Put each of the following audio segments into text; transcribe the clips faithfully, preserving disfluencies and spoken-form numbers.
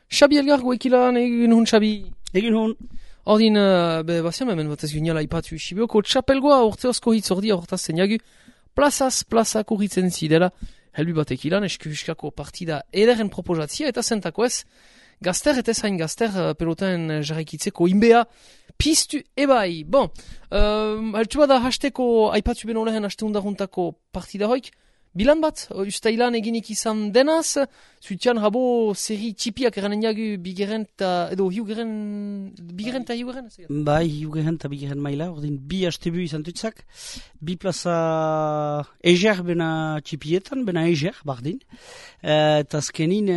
Xabi Elgar goekilan egin hun, Xabi. Egin hun. Ordin, uh, be, baziam hemen bat ez ginala ipatu Sibioko txapelgoa urte osko hitz ordi hortaz zeniagu plazaz plazak urritzen zidela helbi batek ilan eskuhuskako partida ederen proposatzia eta zentako ez gazter eta zain gazter uh, peloten jarraikitzeko inbea piztu ebai. Bon, uh, heltu bada hasteko aipatu beno lehen haste undaruntako partida hoik. Bilan bat, ustailan eginik izan denaz, zuitian rabo seri txipiak eranen jagu bigeren eta, edo hiugeren, bigeren eta hiugeren? Bai, hiugeren eta bigeren maila, ordin bi hastebu izan tutzak, bi plaza eger bena txipietan, bena eger, bardin, eta azkenin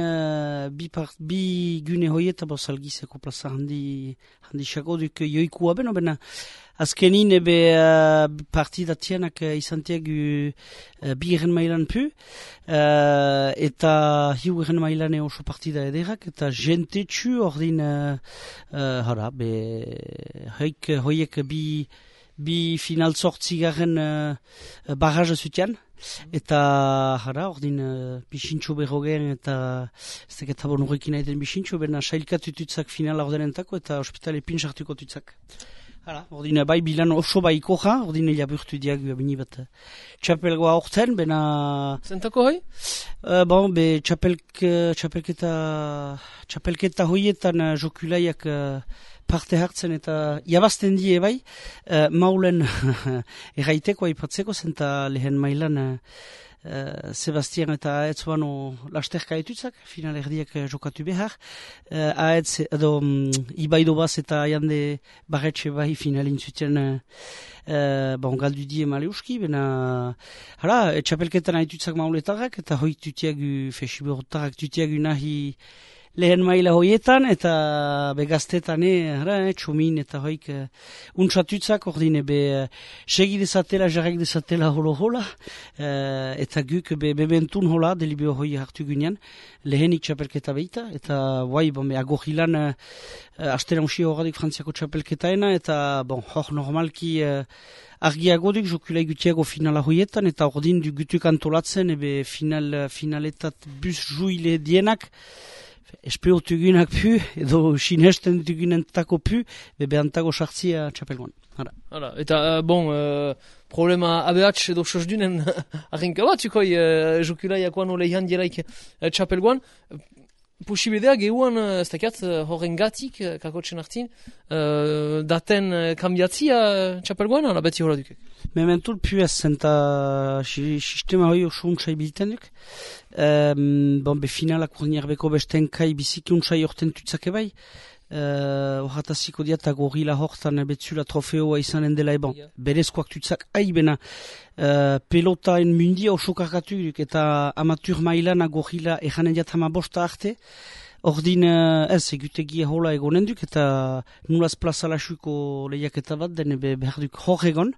bi, part, bi gune hoieta bozalgizeko plaza handi, handi xako duk joikua beno, bena azkenin ebe uh, partida tianak uh, izanteak uh, bigeren mailan pu, uh, eta hiugeren mailan oso partida ederak, eta jentetxu ordin, uh, uh, hara, be, hoik, hoiek bi, bi final sortzigaren uh, barraja zutian, eta hara, ordin, uh, bisintxo berrogen, eta ez teketa bon horrekin aiten bisintxo, bena sailkatu tutzak finala ordenentako, eta hospitale pinsartuko tutzak. Hala, ordine bai bilan oso bai koja, ordine jaburtu diagu abini bat txapelgoa hortzen, bena... Zentako hoi? Uh, bon, be txapelk, txapelketa, txapelketa hoietan uh, jokulaiak uh, parte hartzen eta jabazten die bai, uh, maulen erraiteko aipatzeko zenta lehen mailan uh, Uh, Sebastian eta Aetz bano lasterka etutzak, final erdiak uh, jokatu behar. Uh, Aetz, edo, um, Ibaido baz eta jande barretxe bai finalin zuten uh, uh, bon, galdu die maleuski, bena, hala, txapelketan aetutzak mauletarrak, eta hoi tutiagu, fesiberotarrak tutiagu nahi lehen maila hoietan, eta begaztetan, eh, txomin, eta hoik uh, untsatutzak, ordine, be, uh, segi dezatela, jarrak dezatela holo-hola, uh, eta guk, be, bebentun hola, delibeo hoi hartu gunean, lehenik txapelketa behita, eta, guai, bon, be, agohilan, uh, astera unxi horadik frantziako txapelketaena, eta, bon, hor normalki, uh, argiago duk, jokulai gutiago finala hoietan, eta ordin du gutuk antolatzen, ebe final, finaletat bus juile dienak, Espeotu egunak pu, edo sinesten dugunentako pu, bebe antago sartzia txapelgoan. Hala. Hala, eta, uh, bon, uh, problema abeatx edo sosdunen arrenka bat, zukoi, uh, jokulaiakoan oleihan dielaik uh, txapelgoan. Posibidea gehuan, uh, ez dakiat, uh, horren gatik, uh, kakotxen hartin, uh, daten uh, kambiatzia uh, txapelgoan, ala beti hola dukek? Mementul pu ez, zenta sistema hoi oso untsai bilten duk. Um, bon, be finalak urniak beko besten kai biziki untsai orten tutzake bai. Horrataziko uh, diata gorila hortan betzula trofeoa izanen dela eban. Yeah. Berezkoak tutzak aibena uh, pelotaen mundia oso kargatu duk, eta amatur mailana gorila ejanen diat hama bosta arte. Ordin uh, ez, egutegia hola egonen duk, eta nulaz plazalasuko lehiaketa bat, den behar duk hor egon.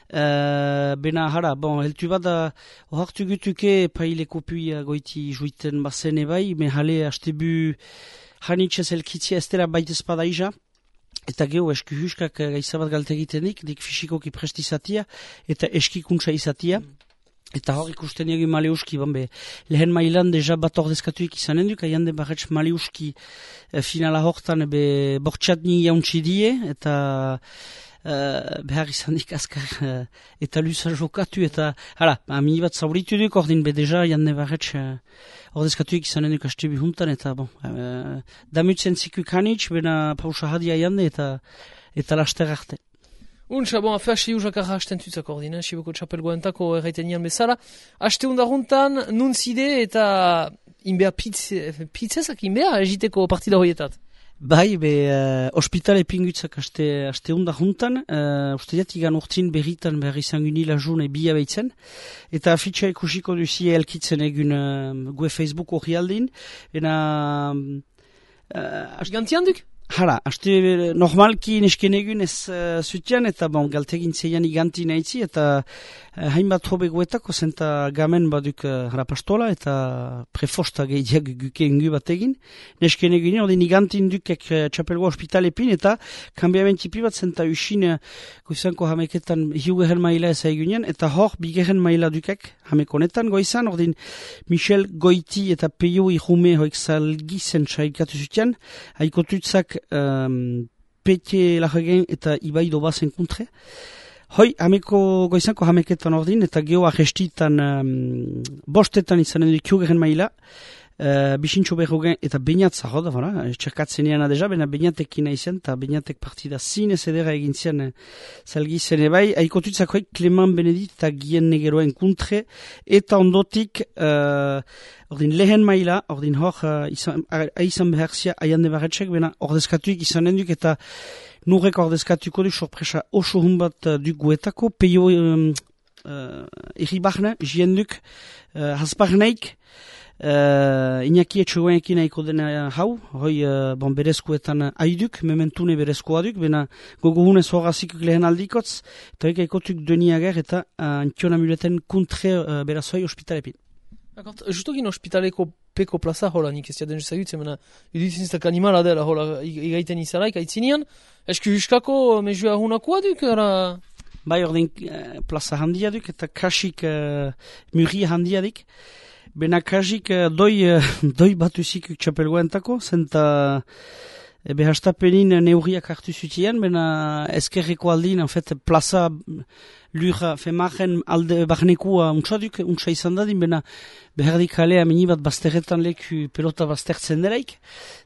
Uh, bena hara, bon, heltu bada ohartu gutuke paileko puia goiti juiten bazen ebai, me hale hastebu hanitxez elkitzia ez dela baitez pada iza, eta geho esku huskak gaizabat galte egitenik, dik fisikoki prestizatia, eta eskikuntza izatia. Eta hor ikusten egin maleuski, banbe, lehen mailan deja bat ordezkatuik izanen duk, aian de barretz maleuski eh, finala hortan be bortxatni jauntsi die, eta Uh, behar izan dik azkar uh, eta luza jokatu eta hala, ami bat zauritu duk ordin be deja jande barretz uh, ordezkatuik izanen duk astebi juntan eta bon, uh, damutzen zikuk hanitz, bena pausa hadia jande eta eta laster arte. Untsa, bon, afea si usakarra hasten tutzak ordin, eh? Siboko txapelgoentako erraiten nian bezala. Aste undaruntan, nun zide eta inbea pitze, pitzezak inbea egiteko partida hoietat. Bai, be, uh, ospitale pingutzak aste, aste unda juntan, uh, uste diat igan urtin berritan behar izan gunila june bia behitzen, eta afitxa ikusiko duzie elkitzen egun uh, gue Facebook hori aldin, ena... Uh, Gantian duk? Hala, aste normalki nesken egun ez uh, zutian, eta bon, galtegin zeian iganti nahitzi, eta hainbat hobe guetako, zenta gamen baduk uh, rapastola eta prefosta gehiak guke ingu bat egin. Nesken egin, ordin igantin dukek uh, txapelgoa ospitalepin eta kambiamentipi bat zenta usin uh, goizanko hameketan hiugehen maila ez egunen, eta hor bigehen maila dukek hamekonetan goizan, ordin Michel Goiti eta Peio Irume hoik zalgizen saikatu zutian, haikotutzak um, Petje Lajegen eta Ibai Dobazen kontre. Hoi, hameko goizanko hameketan ordin, eta geho arrestitan um, bostetan izanen du kiugeren maila, uh, bisintxo berrogen eta bainat zaho da, bera, txerkatzen eana deja, bena bainatekin izan, eta bainatek partida zinez edera egin zian uh, zalgizen ebai, haikotutzak hoi, Clement Benedit eta Gien Negeroen kontre, eta ondotik, uh, ordin lehen maila, ordin hor, uh, izan, izan beharzia aiande barretxek, bena ordezkatuik izanen duk, eta nurreko ordezkatuko du sorpresa oso hun bat uh, duk guetako, peio um, uh, erribarne, jienduk, uh, hasbarneik, uh, inaki etxogoenekin haiko dena hau, hoi uh, bon, berezkoetan haiduk, mementune berezkoa duk, bena gogohunez horazikuk lehen aldikotz, eta hori haikotuk deniager eta uh, antiona muleten kontre uh, berazoi ospitalepin. Akort, justokin ospitaleko peko plaza hola nik ez jaden zagutzen, mena idutinzak animala dela hola igaiten izalaik aitzinean, esku huskako mezua hunakoa duk, ara? Bai, ordin uh, plaza handia duk eta kasik uh, murri handia dik. Bena kasik uh, doi, uh, doi batuzik txapelgoentako, zenta uh, behastapenin neurriak hartu zutian, bena ezkerreko aldin, en fait, plaza lura femaren alde barnekua untsaduk, untsa izan dadin, bena behardik kalea minibat bazterretan leku pelota baztertzen delaik,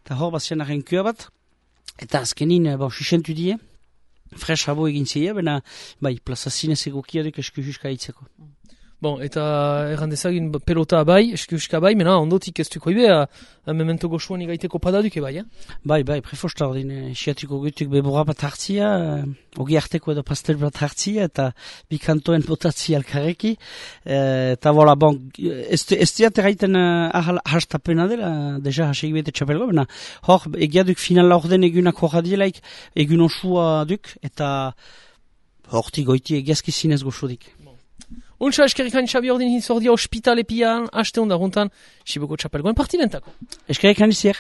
eta hor bazian arrenkua bat, eta azkenin, bon, sisentu die, fresh habo egin zeia, bena, bai, plaza zinez egokia duk esku juska hitzeko. Bon, eta errandezagin pelota bai, eskuska bai, mena ondotik ez duko ibe, memento goxuan igaiteko padaduke bai, eh? Bai, bai, prefosta ordin, siatuko gutuk bebora bat hartzia, ogi harteko edo pastel bat hartzia, eta bikantoen botatzi alkareki, eta vola, bon, ez diat erraiten hastapena dela, deja hasegi bete txapelgo, bena, hor, egiaduk final orden egunak horra dielaik, egun osua duk, eta horti goiti egiazki zinez goxodik. Untsa eskerrikan Xabi ordin hinzordia ospitalepian, haste honda runtan, Siboko txapelgoen partidentako. Eskerrikan izier.